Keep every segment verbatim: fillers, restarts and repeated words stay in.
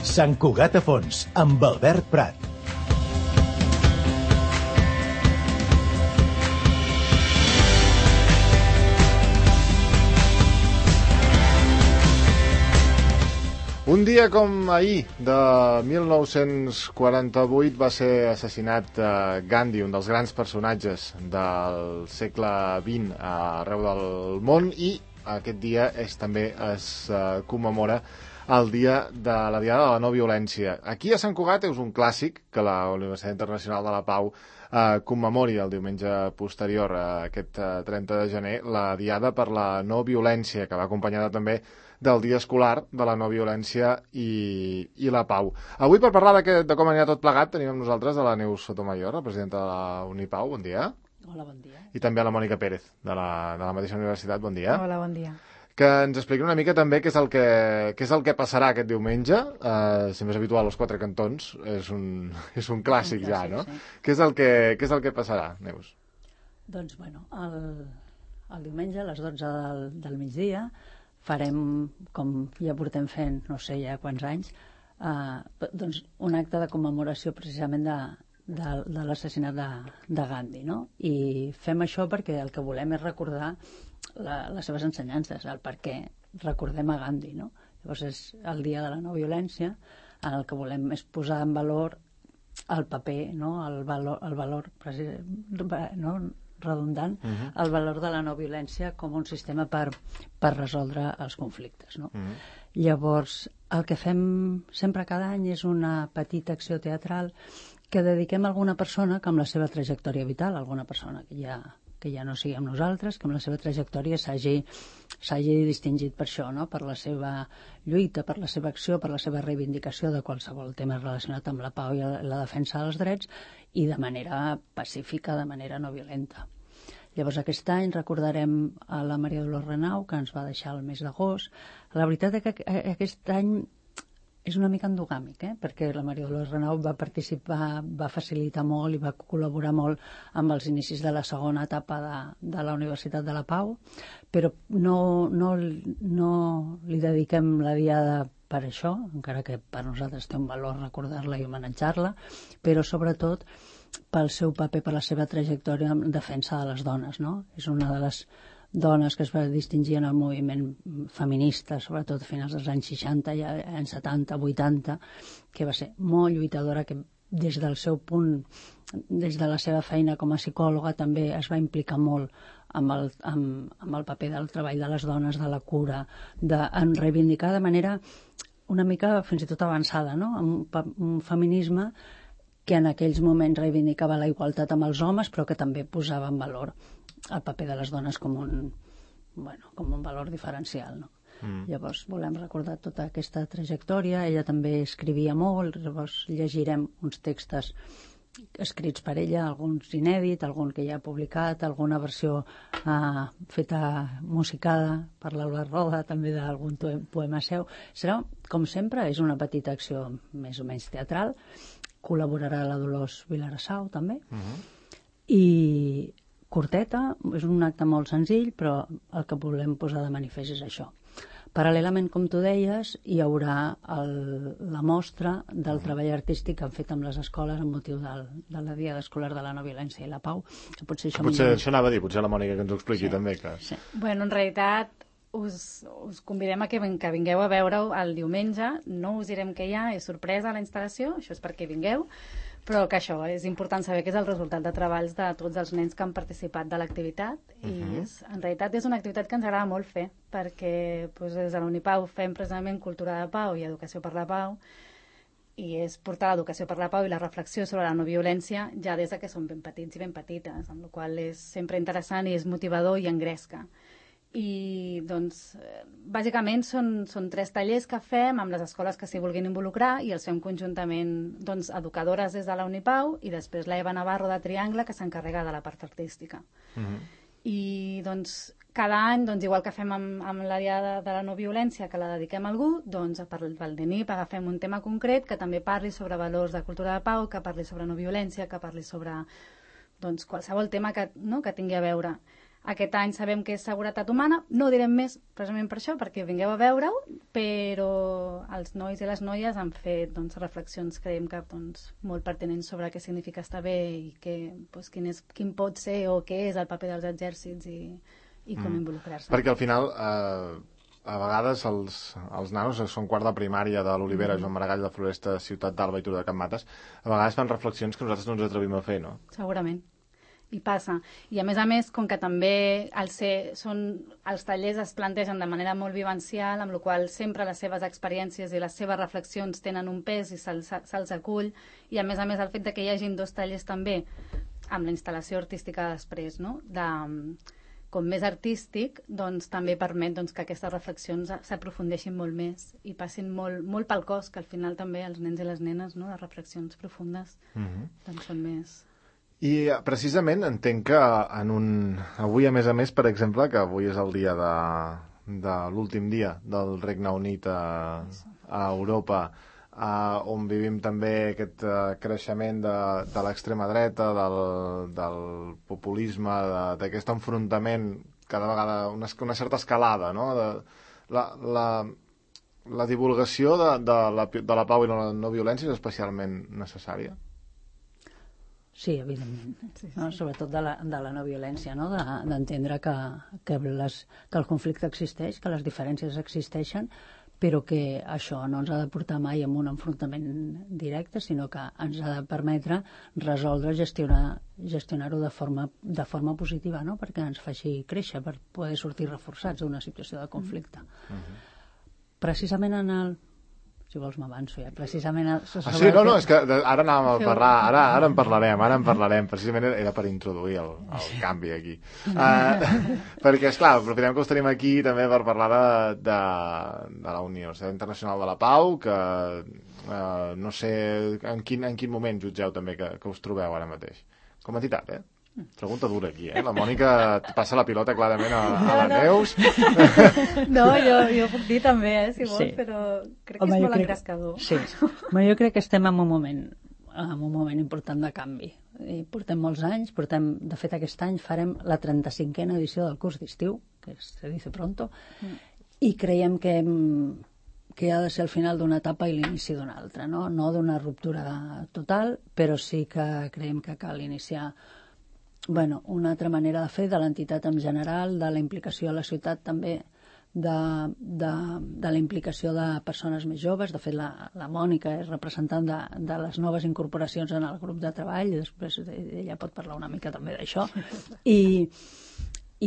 Sant Cugat a fons, amb Albert Prat. Un dia com ahir, de mil nou-cents quaranta-vuit, va ser assassinat uh, Gandhi, un dels grans personatges del segle vint arreu del món, i aquest dia és, també es uh, commemora el dia de la Diada de la No Violència. Aquí a Sant Cugat és un clàssic que la Universitat Internacional de la Pau uh, commemori el diumenge posterior a aquest uh, trenta de gener la Diada per la No Violència, que va acompanyada també del dia escolar de la no violència i, i la pau. Avui, per parlar de, que, de com anirà tot plegat, tenim amb nosaltres a la Neus Sotomayor, la presidenta de la Unipau. Bon dia. Hola, bon dia. I també a la Mònica Pérez, de la, de la mateixa universitat. Bon dia. Hola, bon dia. Que ens expliqui una mica també què és el que, què és el que passarà aquest diumenge. Uh, si més habitual, els quatre cantons. És un, és un clàssic, un clàssic ja, no? Sí. Què és el que, què és el que passarà, Neus? Doncs, bueno, el, el diumenge a les dotze del, del migdia farem, com ja portem fent, no sé ja quants anys, eh, doncs un acte de commemoració precisament de, de, de l'assassinat de, de Gandhi, no? I fem això perquè el que volem és recordar la, les seves ensenyances, el per què recordem a Gandhi, no? Llavors és el dia de la no violència, en el que volem és posar en valor el paper, no? El valor, el valor no? redundant, uh-huh. el valor de la no violència com un sistema per, per resoldre els conflictes, no? Uh-huh. Llavors, el que fem sempre cada any és una petita acció teatral que dediquem a alguna persona que amb la seva trajectòria vital, alguna persona que ja, que ja no sigui amb nosaltres, que amb la seva trajectòria s'hagi s'hagi distingit per això, no? Per la seva lluita, per la seva acció, per la seva reivindicació de qualsevol tema relacionat amb la pau i la defensa dels drets, i de manera pacífica, de manera no violenta. Llavors aquest any recordarem a la Maria Dolors Renau, que ens va deixar el mes d'agost. La veritat és que aquest any és una mica endogàmic, eh? Perquè la Maria Dolors Renau va participar, va facilitar molt i va col·laborar molt amb els inicis de la segona etapa de, de la Universitat de la Pau, però no, no, no li dediquem la diada per això, encara que per nosaltres té un valor recordar-la i homenatjar-la, però sobretot pel seu paper, per la seva trajectòria en defensa de les dones, no? És una de les dones que es va distingir en el moviment feminista, sobretot a finals dels anys seixanta i anys setanta, vuitanta, que va ser molt lluitadora, que des del seu punt, des de la seva feina com a psicòloga, també es va implicar molt amb el, amb, amb el paper del treball de les dones, de la cura, de en reivindicar de manera una mica fins i tot avançada, no? Un, un feminisme que en aquells moments reivindicava la igualtat amb els homes, però que també posava en valor el paper de les dones com un, bueno, com un valor diferencial, no? Mm. Llavors volem recordar tota aquesta trajectòria. Ella també escrivia molt, llavors llegirem uns textos escrits per ella, alguns inèdits, algun que ja ha publicat, alguna versió eh, feta musicada per l'Albert Roda, també d'algun poema seu. Serà, com sempre, és una petita acció més o menys teatral. Col·laborarà la Dolors Vilarassau, també. Uh-huh. I curteta, és un acte molt senzill, però el que volem posar de manifest és això. Paral·lelament, com tu deies, hi haurà el, la mostra del treball artístic que han fet amb les escoles amb motiu del, de la Diada Escolar de la No Violència i la Pau. Que potser això, potser, això anava a dir, potser la Mònica que ens ho expliqui, sí, també. Que... Sí. Bueno, en realitat, us, us convidem a que, que vingueu a veure-ho el diumenge. No us direm què hi ha, és sorpresa a la instal·lació, això és perquè vingueu, però que això, és important saber que és el resultat de treballs de tots els nens que han participat de l'activitat. Uh-huh. I és, en realitat és una activitat que ens agrada molt fer, perquè doncs, des de l'Unipau fem precisament cultura de pau i educació per la pau, i és portar l'educació per la pau i la reflexió sobre la no violència ja des de que som ben petits i ben petites, amb la qual cosa és sempre interessant i és motivador i engresca. I doncs bàsicament són, són tres tallers que fem amb les escoles que s'hi vulguin involucrar i els fem conjuntament doncs, educadores des de la Unipau i després la Eva Navarro de Triangle, que s'encarrega de la part artística. Uh-huh. I doncs cada any, doncs, igual que fem amb, amb la Diada de la No Violència, que la dediquem a algú, doncs per al D N I agafem un tema concret que també parli sobre valors de cultura de pau, que parli sobre no violència, que parli sobre doncs, qualsevol tema que, no, que tingui a veure. aquest any sabem que és seguretat humana, no direm més precisament per això, perquè vingueu a veure-ho, però els nois i les noies han fet doncs, reflexions, creiem que doncs, molt pertinents sobre què significa estar bé i que, doncs, quin, és, quin pot ser o què és el paper dels exèrcits i, i com mm. involucrar-se. Perquè al final... Eh... A vegades els, els nanos, que són quart de primària de l'Olivera, mm. Joan Maragall, de Floresta, Ciutat d'Alba i Turó de Can Mates, a vegades fan reflexions que nosaltres no ens atrevim a fer, no? Segurament. I passa. I a més a més, com que també el ser, són, els tallers es plantegen de manera molt vivencial, amb la qual sempre les seves experiències i les seves reflexions tenen un pes i se'ls se acull, i a més a més el fet de que hi hagin dos tallers també, amb la instal·lació artística després, no?, de... com més artístic, doncs també permet doncs, que aquestes reflexions s'aprofundeixin molt més i passin molt, molt pel cos, que al final també els nens i les nenes, no?, les reflexions profundes, mm-hmm. doncs són més... I precisament entenc que en un... avui, a més a més, per exemple, que avui és el dia de, de l'últim dia del Regne Unit a, a Europa, Uh, on vivim també aquest uh, creixement de, de l'extrema dreta, del, del populisme, d'aquest enfrontament, cada vegada una, una certa escalada, no? De, la, la, la divulgació de, de, la, de la pau i la no violència és especialment necessària? Sí, evidentment. Sí, sí. No? Sobretot de la, de la no violència, no? D'entendre de, que, que, les, que el conflicte existeix, que les diferències existeixen, però que això no ens ha de portar mai a un enfrontament directe, sinó que ens ha de permetre resoldre, gestionar, gestionar-ho de forma, de forma positiva, no?, perquè ens faci créixer, per poder sortir reforçats d'una situació de conflicte. Mm-hmm. Precisament en el... Si vols m'avanço ja, precisament... El... Ah, sí, no, no, és que ara anàvem a parlar, ara, ara en parlarem, ara en parlarem, precisament era per introduir el, el canvi aquí. Uh, perquè, esclar, aprofitem que us tenim aquí també per parlar de, de, de la Universitat Internacional de la Pau, que uh, no sé en quin, en quin moment jutgeu també que, que us trobeu ara mateix. Com a entitat, eh? Pregunta dura aquí, eh? La Mònica passa la pilota clarament a, a la Neus. No, jo, jo puc dir també, eh, si vols, sí. Però crec que Home, és molt crec... engrescador. Sí, Home, jo crec que estem en un moment en un moment important de canvi. I portem molts anys, portem, de fet aquest any farem la trenta-cinquena edició del curs d'estiu, que se dice pronto, mm. i creiem que que ha de ser el final d'una etapa i l'inici d'una altra, no, no d'una ruptura total, però sí que creiem que cal iniciar bueno, una altra manera de fer de l'entitat en general, de la implicació a la ciutat també, de, de, de la implicació de persones més joves. De fet, la, la Mònica és representant de, de les noves incorporacions en el grup de treball, i després ella pot parlar una mica també d'això. I,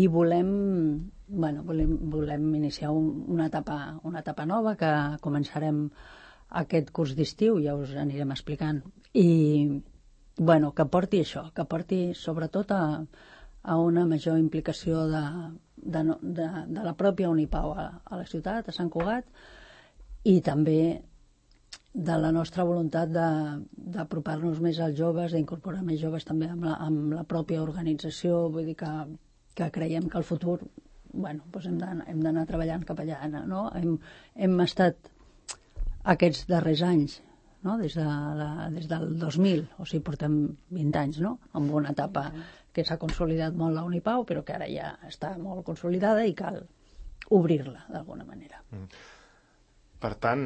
i volem, bueno, volem, volem iniciar un, una, etapa, una etapa nova que començarem aquest curs d'estiu, ja us anirem explicant. I bueno, que porti això, que porti sobretot a, a una major implicació de, de, de, de la pròpia Unipau a, a la ciutat, a Sant Cugat, i també de la nostra voluntat d'apropar-nos més als joves, d'incorporar més joves també amb la, amb la pròpia organització. Vull dir que, que creiem que el futur, bueno, doncs hem d'anar treballant cap allà, no? Hem, hem estat aquests darrers anys, no? Des, de la, des del dos mil, o sigui, portem vint anys, no?, amb una etapa que s'ha consolidat molt la Unipau, però que ara ja està molt consolidada i cal obrir-la d'alguna manera. Mm. Per tant,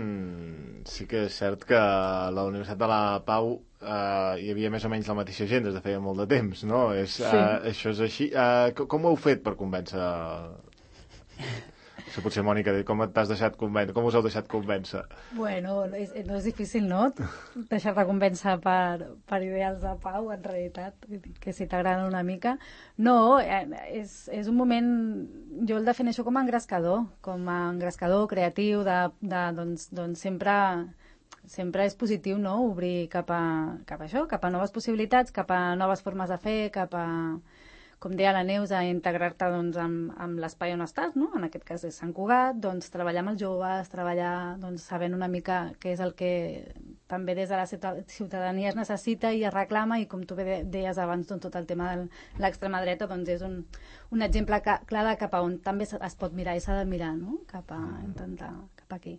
sí que és cert que a la Universitat de la Pau eh, hi havia més o menys la mateixa gent des de feia molt de temps, no? És, sí. eh, això és així. Eh, com ho heu fet per convèncer... Això potser, Mònica, com t'has deixat convèncer? Com us heu deixat convèncer? Bueno, és, no és difícil, no? Deixar-te convèncer per, per ideals de pau, en realitat, que si t'agraden una mica. No, és, és un moment... Jo el defineixo com a engrescador, com a engrescador creatiu, de, de, doncs, doncs sempre, sempre és positiu, no?, obrir cap a, cap a això, cap a noves possibilitats, cap a noves formes de fer, cap a... com deia la Neus, a integrar-te doncs, amb, amb l'espai on estàs, no? En aquest cas és Sant Cugat, doncs treballar amb els joves, treballar doncs, sabent una mica què és el que també des de la ciutadania es necessita i es reclama, i com tu bé deies abans, doncs, tot el tema de l'extrema dreta doncs, és un, un exemple clar de cap a on també es pot mirar i s'ha de mirar, no? Cap a intentar, cap aquí.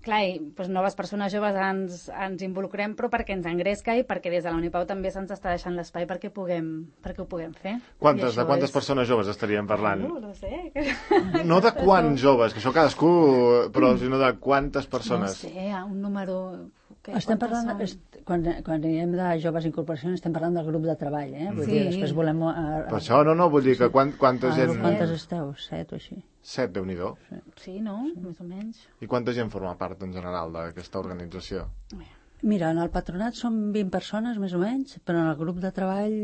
clar, i, doncs, noves persones joves ens, ens involucrem, però perquè ens engresca i perquè des de la Unipau també se'ns està deixant l'espai perquè, puguem, perquè ho puguem fer. Quantes, de quantes és... persones joves estaríem parlant? No, no sé. No de quants joves, que això cadascú, però sinó de quantes persones. No sé, un número... Que, estem parlant, est, quan, quan diem de joves incorporacions, estem parlant del grup de treball, eh? Vull sí. dir, després volem... A, a... Per això, no, no, vull dir que quant, quanta gent... Quantes esteu? Set o així? Set, Déu-n'hi-do. Sí. sí, no? Sí. Més o menys. I quanta gent forma part, en general, d'aquesta organització? Mira, en el patronat som vint persones, més o menys, però en el grup de treball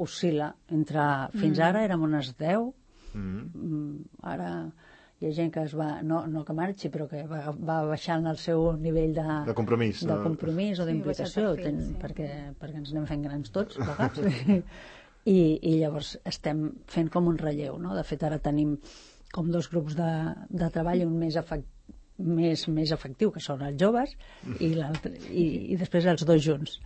oscil·la. Entre... Fins mm. ara érem unes deu, mm. ara... Hi ha gent que es va, no, no que marxi, però que va, va baixant el seu nivell de, de compromís, de compromís o d'implicació, sí, sí. perquè, perquè ens anem fent grans tots, plegats. I, I llavors estem fent com un relleu, no? De fet, ara tenim com dos grups de, de treball, un més, efect, més, més efectiu, que són els joves, i, i, i després els dos junts.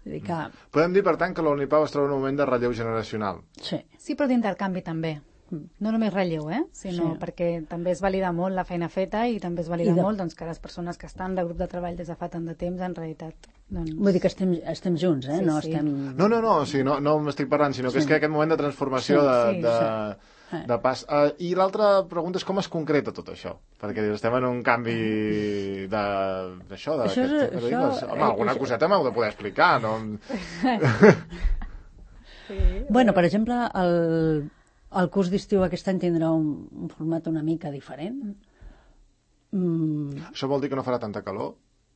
Dir que... Podem dir, per tant, que la Unipau es troba en un moment de relleu generacional. Sí. Sí, però d'intercanvi també. No només relleu, eh? sinó sí. perquè també es valida molt la feina feta i també es valida de... molt doncs, que les persones que estan de grup de treball des de fa tant de temps, en realitat... Doncs... Vull dir que estem, estem junts, eh? Sí, no, sí. Estem... no, no, no, o sigui, no, no m'estic parlant, sinó que sí. és que aquest moment de transformació sí, de, sí, de, sí. de pas... Uh, I l'altra pregunta és com es concreta tot això? Perquè estem en un canvi de... d'això, de... Això és, aquest... això... Home, alguna això... coseta m'heu de poder explicar, no? sí. Bueno, per exemple, el... El curs d'estiu aquest any tindrà un, un format una mica diferent. Mm. Això vol dir que no farà tanta calor?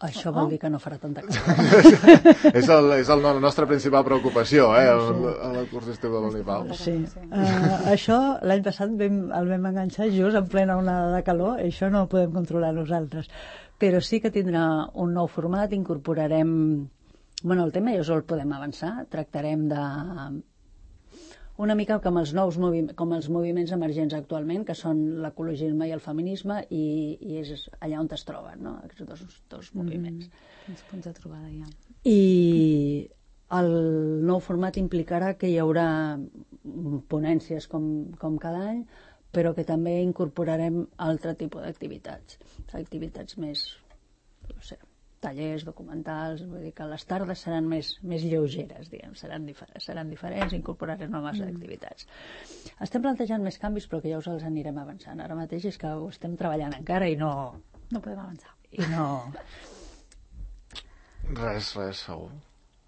Això oh. vol dir que no farà tanta calor. és el, és el, la nostra principal preocupació, eh, el, el, el curs d'estiu de l'Unipau. Sí. Uh, això l'any passat vam, el vam enganxar just en plena onada de calor, i això no ho podem controlar nosaltres. Però sí que tindrà un nou format, incorporarem... Bueno, el tema ja us el podem avançar, tractarem de... una mica com els nous moviments, com els moviments emergents actualment, que són l'ecologisme i el feminisme, i, i és allà on es troben, no? Aquests dos, dos moviments. Mm, uns punts de trobada, ja. I el nou format implicarà que hi haurà ponències com, com cada any, però que també incorporarem altre tipus d'activitats, activitats més, no sé, tallers, documentals, vull dir que les tardes seran més, més lleugeres, diguem, seran, difer seran diferents, incorporarem noves mm. activitats. Estem plantejant més canvis, però que ja us els anirem avançant. Ara mateix és que ho estem treballant encara i no... No podem avançar. I no... Res, res, segur.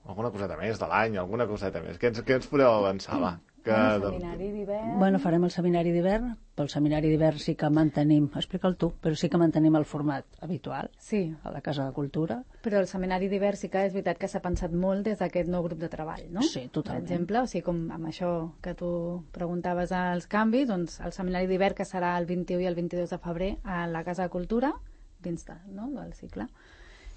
Alguna coseta més de l'any, alguna coseta més. Què ens, què ens podeu avançar, va? Que... El seminari d'hivern... Bueno, farem el seminari d'hivern. Pel seminari d'hivern sí que mantenim... Explica'l tu, però sí que mantenim el format habitual sí. a la Casa de Cultura. Però el seminari d'hivern sí que és veritat que s'ha pensat molt des d'aquest nou grup de treball, no? Sí, totalment. Per exemple, o sigui, com amb això que tu preguntaves als canvis, doncs el seminari d'hivern que serà el vint-i-u i el vint-i-dos de febrer a la Casa de Cultura, dins de, no, del cicle,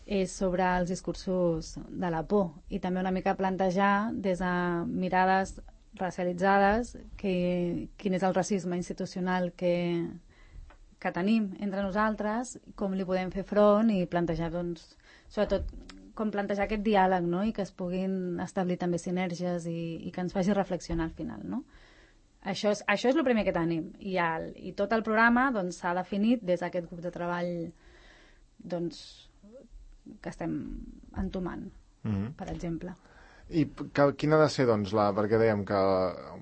és sobre els discursos de la por i també una mica plantejar des de mirades racialitzades que, quin és el racisme institucional que, que tenim entre nosaltres, com li podem fer front i plantejar, doncs, sobretot com plantejar aquest diàleg, no? I que es puguin establir també sinergies i, i que ens faci reflexionar al final, no? Això és, això és el primer que tenim i, el, i tot el programa s'ha doncs, definit des d'aquest grup de treball doncs, que estem entomant, mm-hmm. per exemple. I que, quina ha de ser, doncs, la, perquè dèiem que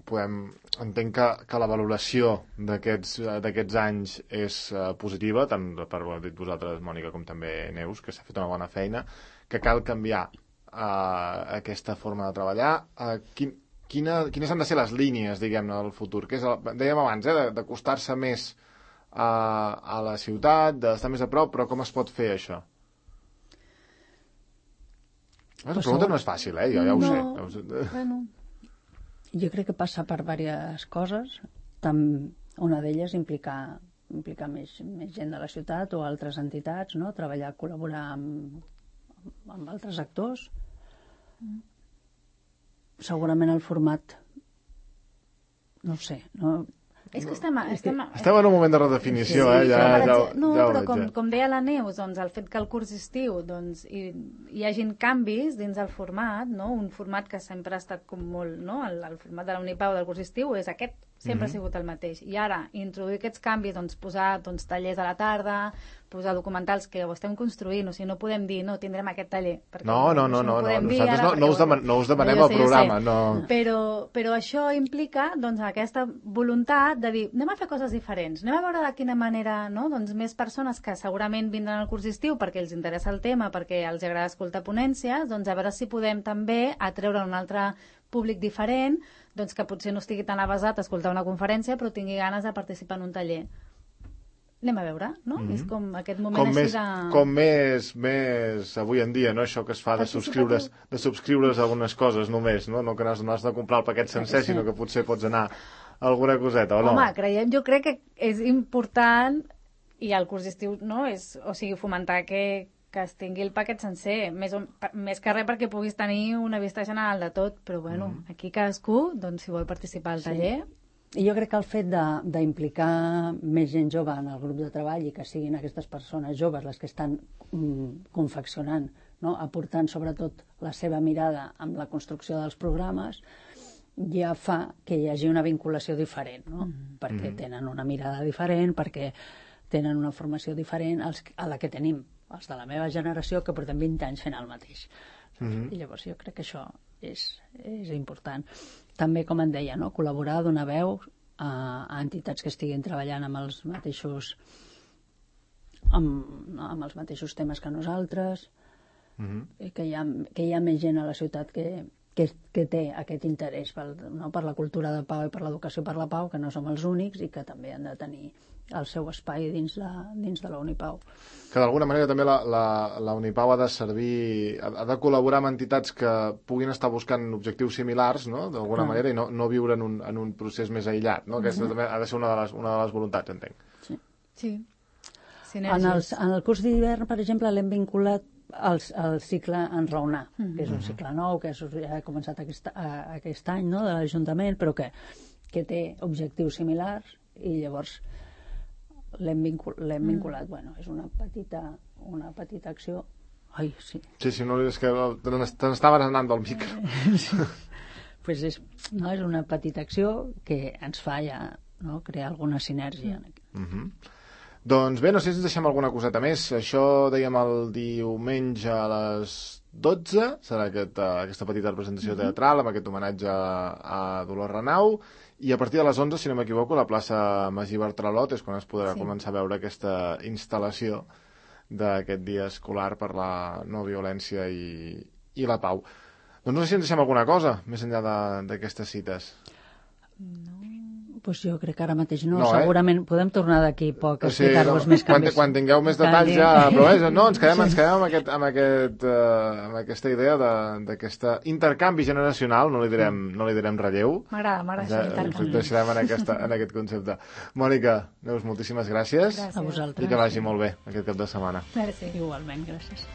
podem, entenc que, que la valoració d'aquests anys és uh, positiva, tant per ho heu dit vosaltres, Mònica, com també Neus, que s'ha fet una bona feina, que cal canviar uh, aquesta forma de treballar. Uh, quin, quina, quines han de ser les línies, diguem-ne, del futur? Que és el, dèiem abans, eh, d'acostar-se més a, a la ciutat, d'estar més a prop, però com es pot fer això? La pregunta no és fàcil, eh? Jo ja ho no, sé. Bueno, jo crec que passa per diverses coses. Tam, una d'elles implicar, implicar més, més gent de la ciutat o altres entitats, no? Treballar, col·laborar amb, amb altres actors. Mm. Segurament el format, no ho sé, no... És que estem... Estem, estem en un moment de redefinició, sí, eh? Ja, però, ja, no, ja però veig, com, ja. com deia la Neus, doncs, el fet que el curs estiu doncs, hi, hi hagin canvis dins el format, no? Un format que sempre ha estat com molt... No? El, el format de la Unipau del curs estiu és aquest, sempre mm-hmm. ha sigut el mateix. I ara, introduir aquests canvis, doncs, posar doncs, tallers a la tarda, posar documentals que ho estem construint, o sigui, no podem dir, no, tindrem aquest taller. No, no, no, no, no, nosaltres no, no, us deman, no us demanem el programa. No. Però, però això implica doncs, aquesta voluntat de dir, anem a fer coses diferents, anem a veure de quina manera, no? Doncs més persones que segurament vindran al curs d'estiu perquè els interessa el tema, perquè els agrada escoltar ponències, doncs a veure si podem també atreure un altre públic diferent, doncs que potser no estigui tan avasat a escoltar una conferència, però tingui ganes de participar en un taller. Anem a veure, no? Mm-hmm. És com aquest moment com així més, de... Com més, més avui en dia, no? Això que es fa de subscriure's, de subscriure's algunes coses només, no? No que no has, no has de comprar el paquet sencer, sí. Sinó que potser pots anar a alguna coseta, o no? Home, creiem, jo crec que és important, i al curs d'estiu, no? És, o sigui, fomentar que, que es tingui el paquet sencer, més, o, més que res perquè puguis tenir una vista general de tot, però bueno, mm. aquí cadascú, doncs, si vol participar al taller... Sí. I jo crec que el fet d'implicar més gent jove en el grup de treball i que siguin aquestes persones joves les que estan mm, confeccionant, no? Aportant sobretot la seva mirada amb la construcció dels programes, ja fa que hi hagi una vinculació diferent, no? Mm-hmm. Perquè tenen una mirada diferent, perquè tenen una formació diferent als, a la que tenim els de la meva generació, que portem vint anys fent el mateix. Mm-hmm. I llavors jo crec que això és, és important. També, com en deia, no? Col·laborar, donar veu a, a entitats que estiguin treballant amb els mateixos amb, amb els mateixos temes que nosaltres, mm-hmm. que, hi ha, que hi ha més gent a la ciutat que, que, que té aquest interès pel, no? Per la cultura de pau i per l'educació per la pau, que no som els únics i que també han de tenir el seu espai dins, la, dins de la Unipau. Que d'alguna manera també la, la, la Unipau ha de servir, ha de col·laborar amb entitats que puguin estar buscant objectius similars, no? D'alguna ah. manera, i no, no viure en un, en un procés més aïllat, no? Aquesta mm-hmm. també ha de ser una de les, una de les voluntats, entenc. Sí. Sí. En el, en el curs d'hivern, per exemple, l'hem vinculat al, al cicle Enraonar, mm-hmm. que és un cicle nou, que és, ja ha començat aquest, aquest any, no?, de l'Ajuntament, però que, que té objectius similars, i llavors l'hem vincul, mm. vinculat. Bueno, és una petita, una petita acció. Ai, sí. Sí, sí, no, és que te n'estaves anant del micro. Sí. Pues és, no, és una petita acció que ens fa ja, no, crear alguna sinergia. Mm. Mm-hmm. Doncs bé, no sé si ens deixem alguna coseta més. Això dèiem el diumenge a les dotze, serà aquest, aquesta petita representació mm-hmm. teatral amb aquest homenatge a Dolors Renau, i a partir de les onze, si no m'equivoco, la plaça Magí Bartralot és quan es podrà sí. començar a veure aquesta instal·lació d'aquest dia escolar per la no violència i, i la pau. Doncs no sé si ens deixem alguna cosa més enllà d'aquestes cites. No, pues jo crec que ara mateix no, no segurament eh? Podem tornar d'aquí poc a explicar-vos sí, no, més canvis. Quan, quan tingueu més detalls ja, però és, no, ens quedem, ens quedem amb, aquest, amb, aquest, uh, amb aquesta idea d'aquest intercanvi generacional, no li direm, no li direm relleu. M'agrada, m'agrada això. Ens deixarem en, aquesta, en aquest concepte. Mònica, Neus, moltíssimes gràcies. Gràcies. A vosaltres. I que vagi molt bé aquest cap de setmana. Merci. Igualment, gràcies.